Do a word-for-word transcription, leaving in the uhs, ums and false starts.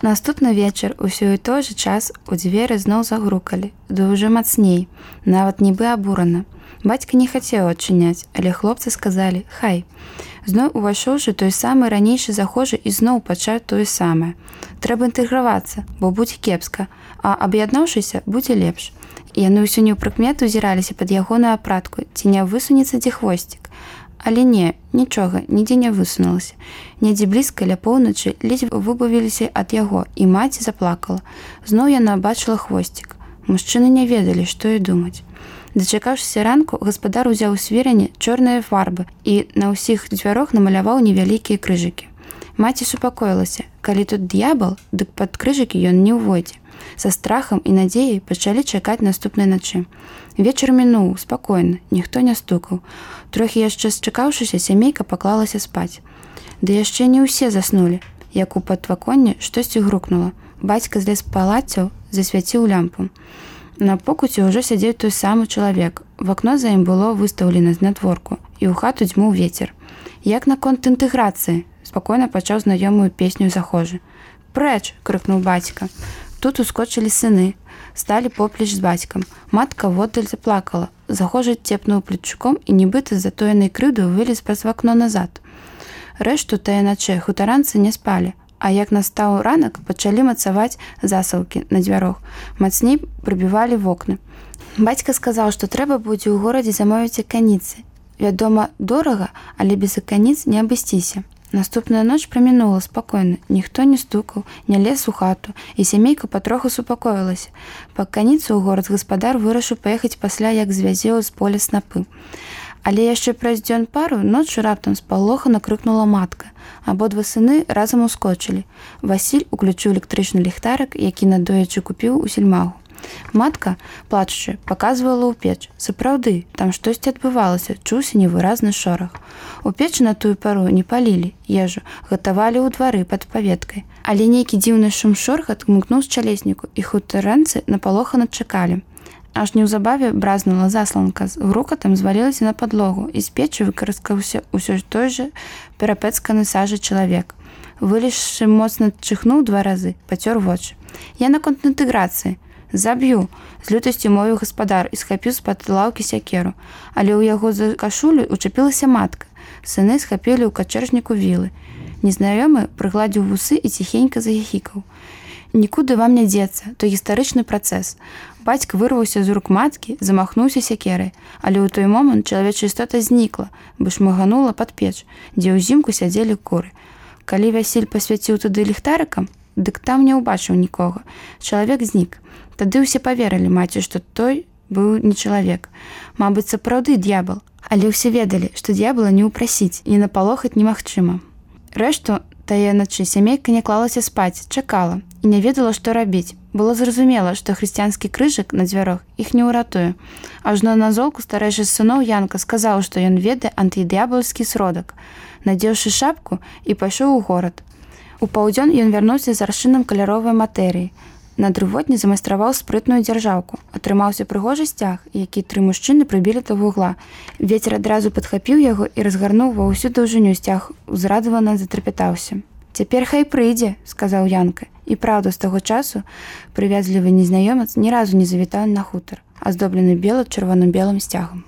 Наступны вечар усё і той жа час у дзверы зноў загрукалі, ды ўжо мацней, нават нібы абурана. Бацька не хацеў адчыняць, але хлопцы сказалі: «Хай». Зноў увайшоўшы, той самы ранейшы захожы і зноў пачаў тое самае. Трэба інтэгравацца, бо будзе кепска, а аб'яднаўшыся будзе лепш. І яны ўсё неўпрыкмету узіраліся пад ягоную апратку, ці не высунецца дзе хвосцік. Але не, нічога, нідзе не высунулася. Недзе блізка ля поўначы ледзь выбавіліся ад яго, і маці заплакала. Зноў яна бачыла хвосцік. Мужчыны не ведалі, што і думаць. Дачакаўшыся ранку, гаспадар узяў у свірані чорныя фарбы і на ўсіх дзвярох намаляваў невялікія крыжыкі. Маці супакоілася: калі тут д'ябал, дык пад крыжыкі ён не ўвойдзе. Са страхам і надзеяй пачалі чакаць наступнай начы. Вечар мінуў спакойна, ніхто не стукаў. Трохі яшчэ счакаўшыся, сямейка паклалася спаць. Ды яшчэ не ўсе заснулі, як у падваконні штосьці грукнула. Бацька злез з палаццяў, засвяціў лямпу. На покуце ўжо сядзеў той самы чалавек. В акно за ім было выстаўлена знадворку, і ў хату дзьмуў вецер. Як наконт інтэграцыі? Спакойна пачаў знаёмую песню захожы. «Прэч!» – крыкнуў бацька. Тут ускочылі сыны, сталі поплеч з бацькам. Матка воддаль заплакала. Захожы цепнуў плечуком і нібыта з затоенай крыўдаю вылез праз вакно назад. Рэшту тая начэ хутаранцы не спалі. А як настаў ранак, пачалі мацаваць засаўкі на дзвярох. Мацней прыбівалі вокны. Бацька сказаў, што трэба будзе ў горадзе замовіць аканіцы. Вядома, дорага, але без аканіц не абысціся. Наступная ноч прамінула спакойна. Ніхто не стукаў, не лез у хату, і сямейка патроху супакоілася. Па аканіцу ў горад гаспадар вырашыў паехаць пасля, як звязеў з поля снапы. Але яшчэ праз дзён пару ноччу раптам спалохана крыкнула матка. Абодва сыны разам ускочылі. Васіль уключыў электрычны ліхтарык, які надоечы купіў у сельмагу. Матка, плачучы, паказвала ў печ. Сапраўды, там штосьці адбывалася, чуўся невыразны шорах. У печы на тую пару не палілі ежу, гатавалі ў двары пад паветкай. Але нейкі дзіўны шум шоргат гмыкнуў з чалесніку, і хутаранцы напалохана чакалі. Аж неўзабаве бразнула засланка, з грукатам звалілася на падлогу, і з печы выкарыскаўся ўсё той жа перапэцканы сажай чалавек. Вылезшы моцна чыхнуў два разы, пацёр вочы. «Я наконт інтэграцыі. Заб'ю!» – з лютасцю мовіў гаспадар і схапіў з-пад лаўкі сякеру. Але ў яго за кашулю учапілася матка. Сыны схапілі ў качэжніку вілы. Незнаёмы прыгладзіў вусы і ціхенька захіхікаў. «Нікуды вам не дзецца, то гістарычны працэс». Бацька вырваўся з рук маткі, замахнуўся сякерай. Але ў той момант чалавечая істота знікла, бо шмыганула пад печ, дзе ўзімку сядзелі куры. Калі Васіль пасвяціў туды ліхтарыкам, дык там не ўбачыў нікога. Чалавек знік. Тады ўсе паверылі маці, што той быў не чалавек. Мабыць, сапраўды д'ябал. Але ўсе ведалі, што д'ябала не ўпрасіць і напалохаць немагчыма. Рэшту тая начы сямейка не клалася спаць, чакала і не ведала, што рабіць. Было зразумела, што хрысціянскі крыжык на дзвярох іх не ўратуе. Ажно на золку старэйшы з сыноў Янка сказаў, што ён ведае антыд'ябаўскі сродак. Надзеўшы шапку і пайшоў у горад. У паўдзён ён вярнуўся з аршынам каляровай матэрыі. На дрывотні замайстраваў спрытную дзяржаўку. Атрымаўся прыгожы сцяг, які тры мужчыны прыбілі да вугла. Вецер адразу падхапіў яго і разгарнуў ва ўсю даўжыню сцяг, узрадавана затрапятаўся. «Цяпер хай прыйдзе», – сказаў Янка. І праўда, з таго часу прывязлівы незнаёмец ні разу не завітаў на хутар, аздоблены бела-чырвона-белым сцягам.